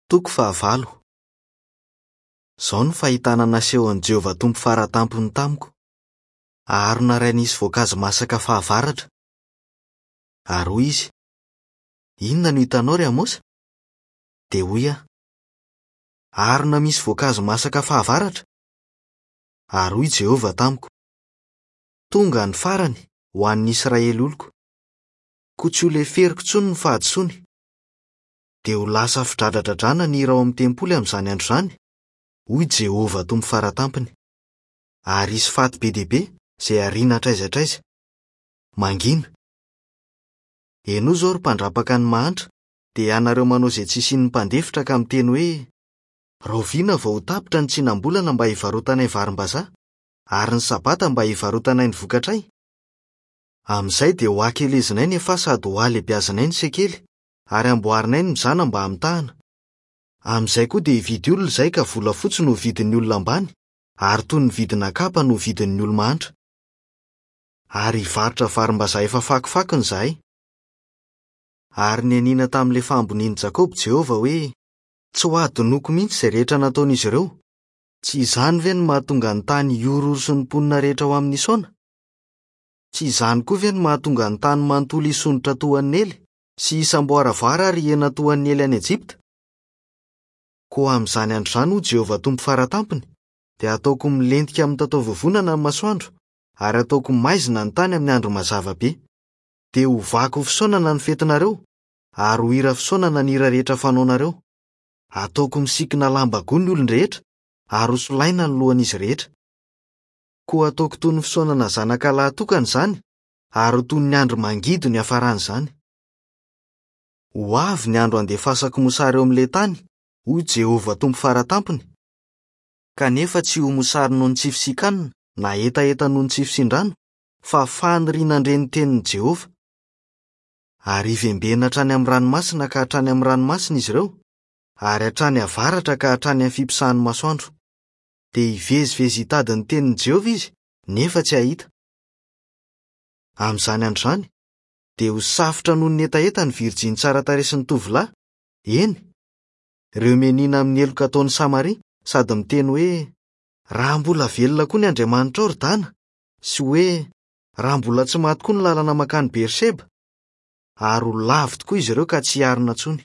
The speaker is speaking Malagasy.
Toko fahavalo. Izao no fahitana nasehon'i Jehovah Tompo Fara Tampony tamiko, Harona iray nisy voankazo masaka fahavaratra. Ary hoy izy, Inona no hitanao, ry Amosa? Dia hoy aho, Harona misy voankazo masaka fahavaratra. Ary hoy Jehovah tamiko, Tonga ny farany ho an'ny Israely oloko. Koa tsy holeferiko intsony ny fahadisoany. Dia ho lasa fidradradradrana ny hira ao amin'ny tempoly amin'izany andro izany, hoy Jehovah Tompo Fara Tampony. Ary hisy faty be dia be izay hariana hatraiza hatraiza. Mangina. Henoy izao, ry mpandrapaka ny mahantra, dia ianareo manao izay tsy hisian'ny mpandefitra ka miteny hoe, Rahoviana vao ho tapitra ny tsinam-bolana mba hivarotanay varimbazaha, ary ny Sabata mba hivarotanay ny vokatray? Amin'izay dia ho hakelezinay ny efaha sady ho halebiazinay ny sekely, ary hamboarinay ny mizana mba hamitahana. Amin'izay koa dia hividy olona izahay ka volafotsy no ho vidin'ny olona ambany, ary toy ny vidina kapa no ho vidin'ny olo-mahantra. Ary hivarotra varimbazaha efa fakofakony izahay. Ary nianiana tamin'ilay fahambonian'i Jakoba Jehovah hoe, Tsy hohadinoiko mihitsy izay rehetra nataon'izy ireo. Tsy izany ve no mahatonga ny tany hihorohoro sy ny mponina rehetra ao aminy hisaona? Tsy izany koa ve no mahatonga ny tany manontolo hisondrotra toa an'i Nely, sy hisamboaravoara ary hihena toa an'i Nely any Ejipta? Koa amin'izany andro izany, hoy Jehovah Tompo Fara Tampony, dia hataoko milentika amin'ny mitataovovonana ny masoandro, ary hataoko maizina ny tany amin'ny andro mazava be. Dia hovako ho fisaonana ny fetinareo, ary ho hira fisaonana ny hira rehetra fanaonareo. Hataoko misikina lamba goa ny olon-drehetra, ary hosolaina ny lohan'izy rehetra. Koa hataoko toy ny fisaonana zanaka lahy tokana izany, ary ho toy ny andro mangidy no hiafaran'izany. Ho avy ny andro handefasako mosary eo amin'ilay tany, hoy Jehovah Tompo Fara Tampony, kanefa tsy ho mosary noho ny tsy fisian-kanina na hetaheta noho ny tsy fisian-drano, fa faniriana handre ny tenin'i Jehovah. Ary hivembena hatrany amin'ny ranomasina ka hatrany amin'ny ranomasina izy ireo, ary hatrany avaratra ka hatrany amin'ny fiposahan'ny masoandro. Dia hivezivezy hitady ny tenin'i Jehovah izy, nefa tsy hahita. Amin'izany andro izany, dia ho safotra noho ny hetaheta ny virjiny tsara tarehy sy ny tovolahy, eny, ireo mianiana amin'ny heloka ataon'i Samaria sady miteny hoe, Raha mbola velona koa ny andriamanitrao, ry Dana, sy hoe, Raha mbola tsy maty koa ny lalana mankany Berseba, ary ho lavo tokoa izy ireo ka tsy hiarina intsony.